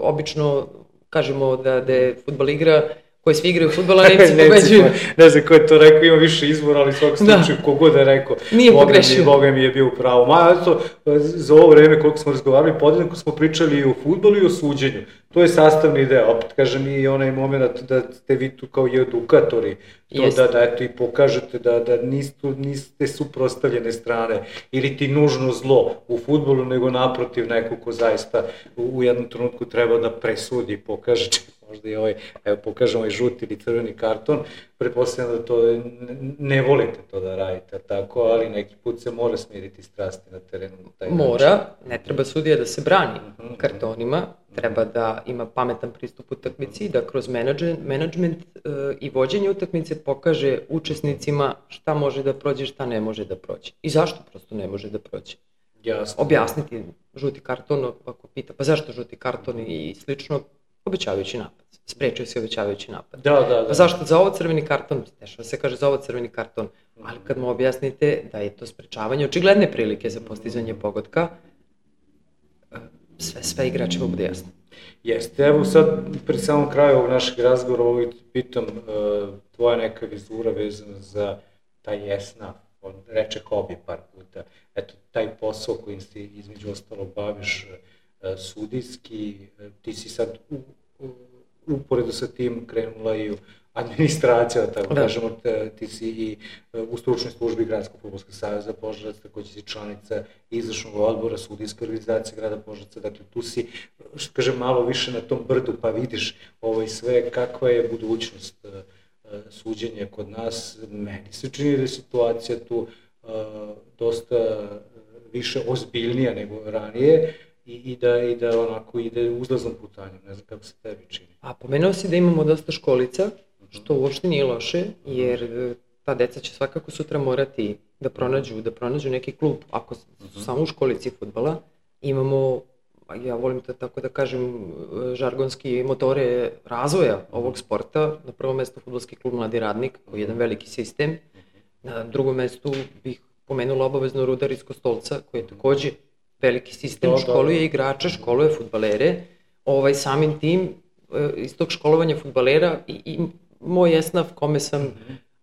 obično kažemo da, da je fudbal igra koji svi igraju fudbala, Nemci pobeđuju. Ne znam ko je to rekao, ima više izbora, ali svakog slučaju, da. Kogod je rekao, nije pogrešio. Boga mi je bio u pravu. Ma, eto, za ovo vreme koliko smo razgovarali, podjednako smo pričali i o fudbalu i o suđenju. To je sastavni deo, opet kažem i onaj moment da ste vi tu kao i edukatori, to da, da eto i pokažete da, da niste, niste suprotstavljene strane ili ti nužno zlo u fudbalu, nego naprotiv neko ko zaista u, u jednom trenutku treba da presudi i pokaže, možda i ovaj, evo pokažemo ovaj žuti ili crveni karton, pretpostavljam da to ne, ne volite to da radite tako, ali neki put se mora smiriti strasti na terenu. Taj mora, način. Ne treba sudija da se brani mm-hmm. kartonima, treba da ima pametan pristup utakmici, da kroz menadžment uh, i vođenje utakmice pokaže učesnicima šta može da prođe, šta ne može da prođe. I zašto prosto ne može da prođe. Jasno. Objasniti žuti karton, ako pita, pa zašto žuti karton i slično, obećavajući napad. Sprečio se obećavajući napad. Da, da, da. Pa zašto za ovo crveni karton? Dešava se kaže za ovo crveni karton. Ali kad mu objasnite da je to sprečavanje očigledne prilike za postizanje pogotka, sve, sve igračima bude jasno. Jeste, evo sad pri samom kraju ovog našeg razgovora ovog pitam uh, tvoja neka vizura vezana za taj esnaf, on reče hobi par puta, eto taj posao kojim se između ostalo baviš uh, sudijski, uh, ti si sad u uporedo sa tim krenula i administracija, tako da kažemo, ti si i u stručnoj službi Gradskog fudbalskog saveza Požarevac, takođe si članica izvršnog odbora sudijske organizacije grada Požarevca, dakle tu si, što kažem, malo više na tom brdu pa vidiš ovaj sve kakva je budućnost suđenja kod nas. Meni se čini da je situacija tu dosta više ozbiljnija nego ranije i, i, da, i da onako ide uzlaznom putanjem, ne znam kako se tebi čini. A pomenuo si da imamo dosta školica, što uopšte nije loše, jer ta deca će svakako sutra morati da pronađu, da pronađu neki klub, ako su samo u školici fudbala. Imamo, ja volim to tako da kažem, žargonski motore razvoja ovog sporta. Na prvom mestu fudbalski klub Mladi radnik, koji je jedan veliki sistem. Na drugom mestu bih pomenula obavezno Rudar iz Kostolca, koji je takođe veliki sistem, školuje igrače, školuje fudbalere. Ovaj, samim tim, iz tog školovanja fudbalera i, i moj esnaf kome sam,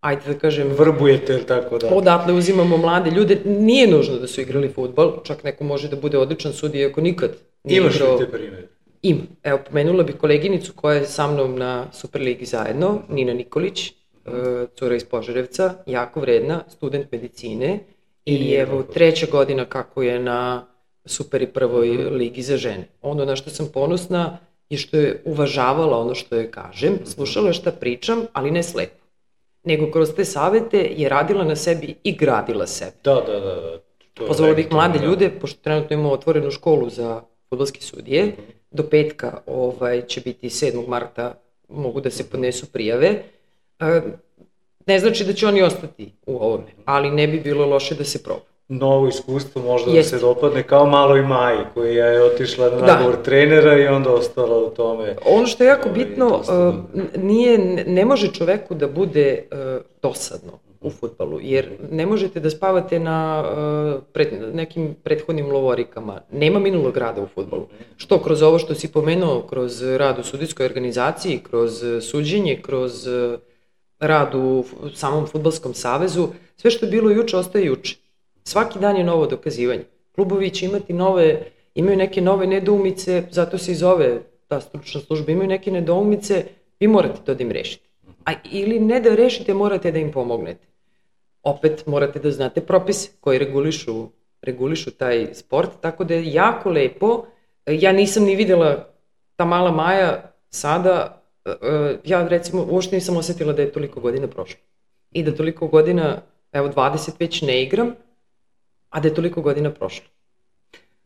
ajde da kažem... Vrbujete, ili tako da? Odatle uzimamo mlade ljude. Nije nužno da su igrali fudbal, čak neko može da bude odličan sudija ako nikad nije igraš igrao... Imaš li te primere? Ima. Evo, pomenula bih koleginicu koja je sa mnom na Superligi zajedno, Nina Nikolić, cura iz Požarevca, jako vredna, student medicine i evo treća godina kako je na Super i prvoj ligi za žene. Ono na što sam ponosna je što je uvažavala ono što joj kažem, slušala šta pričam, ali ne slepo. Nego kroz te savete je radila na sebi i gradila sebe. Da, da, da. Pozvala bih mlade ljude, pošto trenutno imamo otvorenu školu za fudbalske sudije, do petka ovaj, će biti sedmog marta, mogu da se podnesu prijave. Ne znači da će oni ostati u ovome, ali ne bi bilo loše da se proba. Novo iskustvo možda da se dopadne, kao malo i Maji, koja je otišla na nagovor trenera i onda ostala u tome. Ono što je jako bitno, nije, ne može čoveku da bude dosadno u fudbalu, jer ne možete da spavate na pred, nekim prethodnim lovorikama. Nema minulog rada u fudbalu. Što kroz ovo što si pomenuo, kroz rad u sudijskoj organizaciji, kroz suđenje, kroz rad u samom fudbalskom savezu, sve što je bilo juče ostaje juče. Svaki dan je novo dokazivanje. Klubovi će imati nove, imaju neke nove nedoumice, zato se i zove ta stručna služba, imaju neke nedoumice, vi morate to da im rešite. A ili ne da rešite, morate da im pomognete. Opet morate da znate propise koji regulišu, regulišu taj sport, tako da je jako lepo. Ja nisam ni videla ta mala Maja sada, ja recimo uopšte nisam osetila da je toliko godina prošlo. I da toliko godina, evo dvadeset već ne igram, a da je toliko godina prošlo.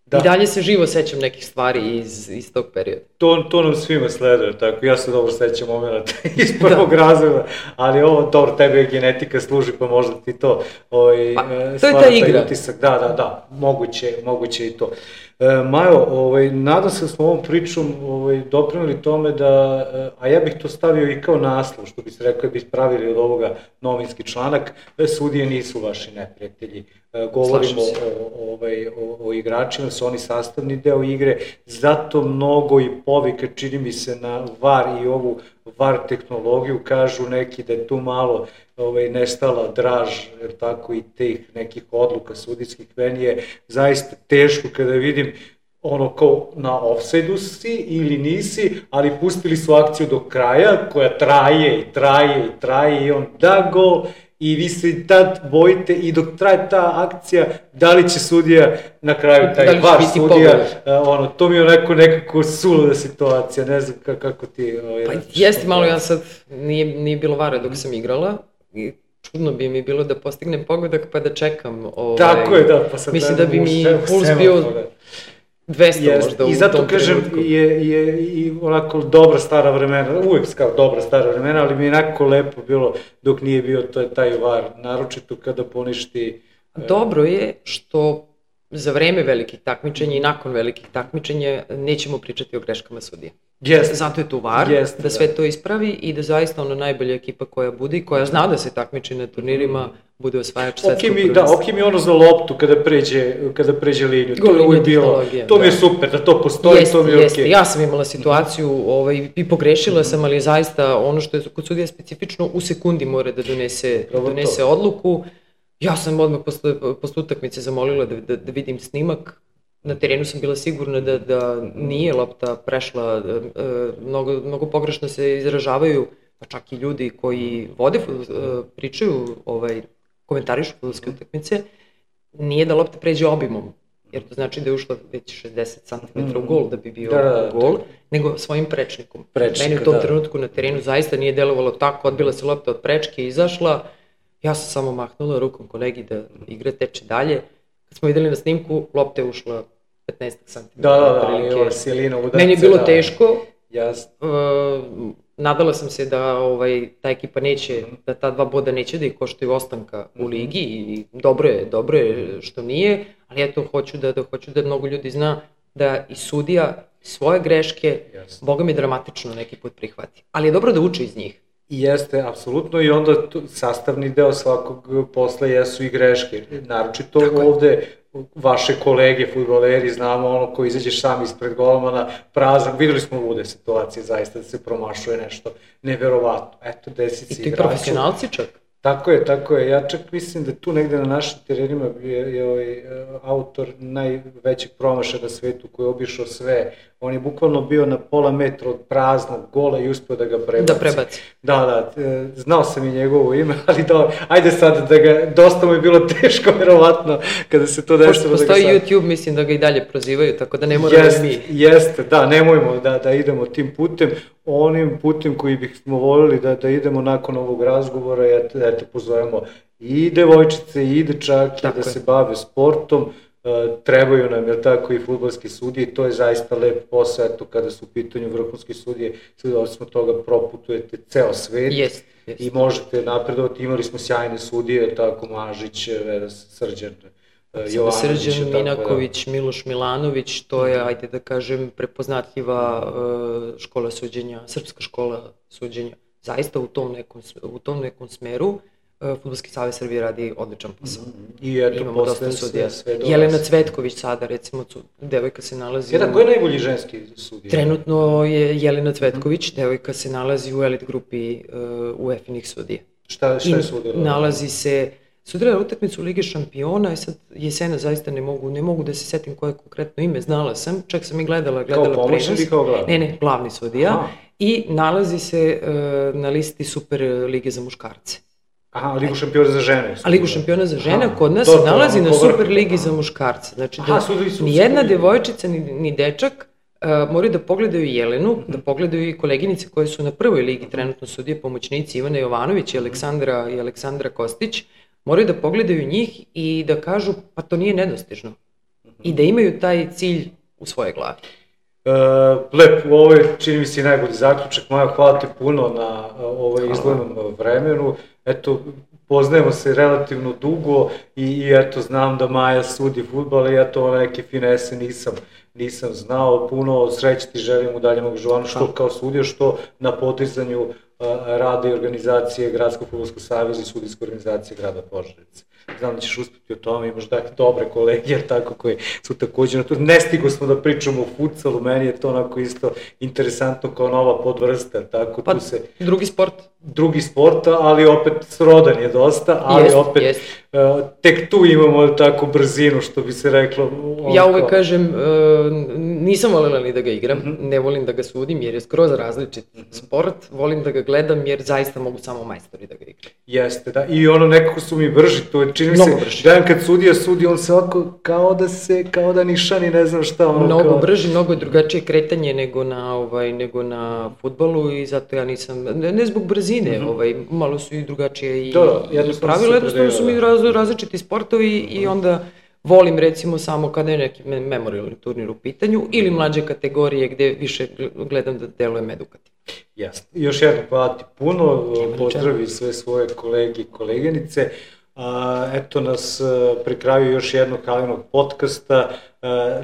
Da. I dalje se živo sećam nekih stvari iz, iz tog perioda. To, to nam svima sleduje, tako. Ja se dobro sećam momenta iz prvog razreda, ali ovo, dobro, tebe je genetika služi, pa možda ti to ovaj, pa, to je ta igra. Utisak. Da, da, da, moguće, moguće i to. E, Majo, ovaj, nadam se da smo ovom pričom ovaj, doprinuli tome da, a ja bih to stavio i kao naslov, što bi se rekao, bi pravili od ovoga novinski članak, sudije nisu vaši neprijatelji. E, govorimo o, ovaj, o, o igračima, su oni sastavni deo igre, zato mnogo i povika, čini mi se, na var i ovu var tehnologiju, kažu neki da je tu malo ovaj, nestala draž, jer tako i tih nekih odluka sudijskih. Meni je zaista teško kada vidim ono kao na ofsajdu si ili nisi, ali pustili su akciju do kraja, koja traje i traje i traje i on da gol, i vi se tad bojite i dok traje ta akcija, da li će sudija na kraju, taj var sudija, ono, to mi je onako nekako suluda situacija, ne znam kako ti... Ovaj, pa jeste malo, ja sad, nije, nije bilo vara dok sam igrala, i čudno bi mi bilo da postignem pogodak pa da čekam. Ovaj, tako je, da, pa sad... Mislim da bi mi puls bio dvesta jest, možda u tom trenutku. I zato kažem, je, je i onako dobra stara vremena, uvijek kao dobra stara vremena, ali mi je onako lepo bilo dok nije bio to, taj var, naročito kada poništi... Dobro je što za vreme velikih takmičenja i nakon velikih takmičenja nećemo pričati o greškama sudije. Jest. Zato je tu var, jest, da sve da. to ispravi i da zaista ono najbolja ekipa koja bude i koja zna da se takmiči na turnirima bude osvajač svetskog okay prvenstva. Da, ok mi ono za loptu kada pređe, kada pređe liniju, to je uvijek bilo, to mi je super, da to postoji, jest, to mi je jest. ok. Ja sam imala situaciju ovaj, i pogrešila mm-hmm. sam, ali je zaista ono što je kod sudija specifično, u sekundi mora da donese, donese to. odluku. Ja sam odmah posle, posle utakmice zamolila da, da, da vidim snimak, na terenu sam bila sigurna da, da nije lopta prešla, mnogo, mnogo pogrešno se izražavaju, pa čak i ljudi koji vode, pričaju, ovaj, komentarišu fudbalske utakmice, nije da lopta pređe obimom, jer to znači da je ušla već šezdeset centimetara u gol da bi bio da, da, gol, da. nego svojim prečnikom. Prečnika, meni u tom da. trenutku na terenu zaista nije delovalo tako, odbila se lopta od prečke i izašla, ja sam samo mahnula rukom kolegi da igra teče dalje. Kad smo videli na snimku, lopta je ušla petnaest centimetara. Da, da, da, ali ova silina udarca. Meni je bilo da, teško. Jasno. Uh, nadala sam se da ovaj, ta ekipa neće, da ta dva boda neće da ih koštaju ostanka u ligi i dobro je, dobro je što nije, ali eto, hoću da, da, hoću da mnogo ljudi zna da i sudija svoje greške, jasno, boga mi dramatično neki put prihvati. Ali je dobro da uče iz njih. Jeste, apsolutno, i onda tu, sastavni deo svakog posla jesu i greške. Naročito ovde vaše kolege, fudbaleri, znamo ono ko izađeš sam ispred golmana, prazan, videli smo lude situacije zaista da se promašuje nešto neverovatno. Eto, desi se igraču. I ti profesionalci čak? Tako je, tako je. Ja čak mislim da tu negde na našim terenima je, je ovaj autor najvećeg promašaja na svetu koji je obišao sve. On je bukvalno bio na pola metra od praznog gola i uspio da ga prebaci. Da prebaci. Da, da, znao sam i njegovo ime, ali da, ajde sad da ga, dosta mu je bilo teško, verovatno, kada se to desilo. Pošto postoji da ga sad... YouTube, mislim da ga i dalje prozivaju, tako da ne moramo jest, mi. Jeste, da, nemojmo da, da idemo tim putem. Onim putem koji bismo voljeli da, da idemo nakon ovog razgovora, eto, eto pozovemo i devojčice i dečake da je. se bave sportom. Uh, trebaju nam, jer tako, i fudbalski sudije, to je zaista lep posao, eto, kada su u pitanju vrhunski sudije, sve osmo toga proputujete ceo svet yes, yes. i možete napredovati. Imali smo sjajne sudije, tako, Mažić, Srđan, uh, Jovanović. Srđan, Minaković, da. Miloš Milanović, to je, ajde da kažem, prepoznatljiva uh, škola suđenja, srpska škola suđenja, zaista u tom nekom, u tom nekom smeru. Fudbalski savez Srbije radi odličan posao. I eto, posle sve, sve dolazi. Jelena Cvetković sada, recimo, devojka se nalazi... Jedan, u... ko je najbolji ženski sudija? Trenutno je Jelena Cvetković, devojka se nalazi u elit grupi uh, u UEFA-inih sudija. Šta, šta je sudila? Nalazi se... Sudila utakmicu Lige šampiona, i sad jesena zaista ne mogu, ne mogu da se setim koje konkretno ime, znala sam, čak sam i gledala, gledala prenos. Kao pomoćnik ili kao glavni? Ne, ne, glavni sudija. Aha. I nalazi se uh, na listi Super lige za muškarce. Aha, Ligu šampiona za žene. A Ligu šampiona za žene aha, kod nas se nalazi na Super ligi za muškarce. Znači da aha, ni jedna devojčica ni, ni dečak uh, moraju da pogledaju Jelenu, mm-hmm. da pogledaju i koleginice koje su na prvoj ligi trenutno sudije, pomoćnici Ivana Jovanović i Aleksandra, i Aleksandra Kostić, moraju da pogledaju njih i da kažu pa to nije nedostižno. Mm-hmm. I da imaju taj cilj u svojoj glavi. Uh, lep, ovo je, čini mi se, najbolji zaključak. Maja, hvala ti puno na uh, ovaj izglednom vremenu. Eto, poznajemo se relativno dugo i, i eto, znam da Maja sudi fudbal i ja to neke finese nisam, nisam znao. Puno sreće ti želim u daljem angažovanju, što kao sudija, što na podizanju uh, rada i organizacije Gradskog fudbalskog saveza i sudijske organizacije grada Požarevca. Znam da ćeš uspjeti o tome, imaš dakle dobre kolege, jer tako, koji su također na to. Ne stigo smo da pričamo o futsalu, meni je to onako isto interesantno kao nova podvrsta, tako pa, tu se... drugi sport. Drugi sport, ali opet srodan je dosta, ali jest, opet jest. Uh, tek tu imamo tako brzinu, što bi se reklo. Ja uvek kažem, uh, nisam voljela ni da ga igram, mm-hmm. ne volim da ga sudim jer je skroz različit mm-hmm. sport, volim da ga gledam jer zaista mogu samo majstori da ga igram. Jeste, da, i ono nekako su mi brži, to je, čini mi se, gledam kad sudija sudi, on se ovako kao da se, kao da nišani, ne znam šta. Ono, mnogo kao... brži, mnogo je drugačije kretanje nego na, ovaj, nego na fudbalu i zato ja nisam, ne, ne zbog brzine, Mm-hmm. ovaj, malo su i drugačije i, da, i pravila, jednostavno su mi raz, različiti sportovi mm-hmm. i onda volim recimo samo kada je neki memorialni turnir u pitanju ili mlađe kategorije gde više gledam da delujem edukativno. Jasno. Još jedno hvala ti puno, pozdravi sve svoje kolege i koleginice. A, eto nas pri kraju još jednog Halinog podcasta.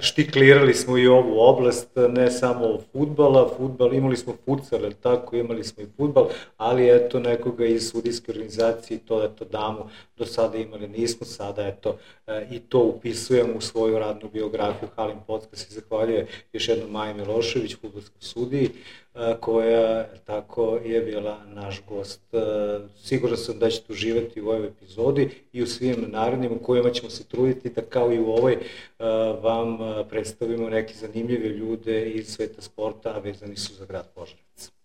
Štiklirali smo i ovu oblast, ne samo fudbala, fudbal, imali smo futsal, tako, imali smo i fudbal, ali eto nekoga iz sudijske organizacije, to eto damo, do sada imali nismo, sada eto i to upisujemo u svoju radnu biografiju. Halin podcast i zahvaljuje još jednom Maji Milošević, fudbalskoj sudiji, koja tako je bila naš gost. Siguran sam da ćete uživati u ovoj epizodi i u svim narednim u kojima ćemo se truditi da kao i u ovoj vam predstavimo neke zanimljive ljude iz sveta sporta, a vezani su za grad Požarevac.